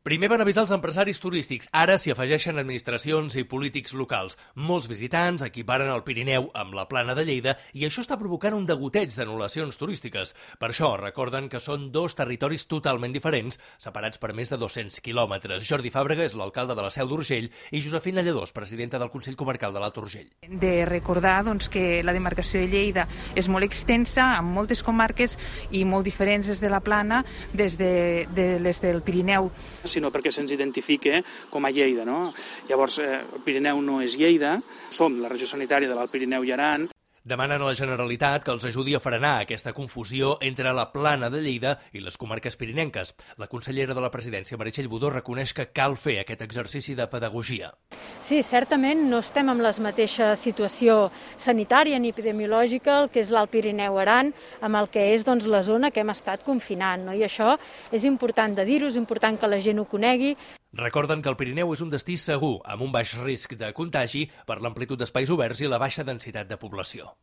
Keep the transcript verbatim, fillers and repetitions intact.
Primer van avisar els empresaris turístics, ara s'hi afegeixen administracions i polítics locals. Molts visitants equiparen el Pirineu amb la Plana de Lleida i això està provocant un degoteig d'anul·lacions turístiques. Per això recorden que són dos territoris totalment diferents, separats per més de dos-cents quilòmetres. Jordi Fàbrega és l'alcalde de la Seu d'Urgell i Josefina Lledós, presidenta del Consell Comarcal de l'Alt Urgell. De recordar doncs, que la demarcació de Lleida és molt extensa, amb moltes comarques i molt diferents des de la Plana, des de, de les del Pirineu. Sinó perquè se'ns identifique com a Lleida, no? Llavors, eh, el Pirineu no és Lleida, som la regió sanitària de l'Alt Pirineu i Aran. Demanen a la Generalitat que els ajudi a frenar aquesta confusió entre la Plana de Lleida i les comarques pirinenques. La consellera de la Presidència, Meritxell Budó, reconeix que cal fer aquest exercici de pedagogia. Sí, certament no estem en la mateixa situació sanitària ni epidemiològica, el que és l'Alt Pirineu-Aran, amb el que és doncs, la zona que hem estat confinant. No? I això és important de dir-ho, és important que la gent ho conegui. Recorden que el Pirineu és un destí segur, amb un baix risc de contagi per l'amplitud d'espais oberts i la baixa densitat de població.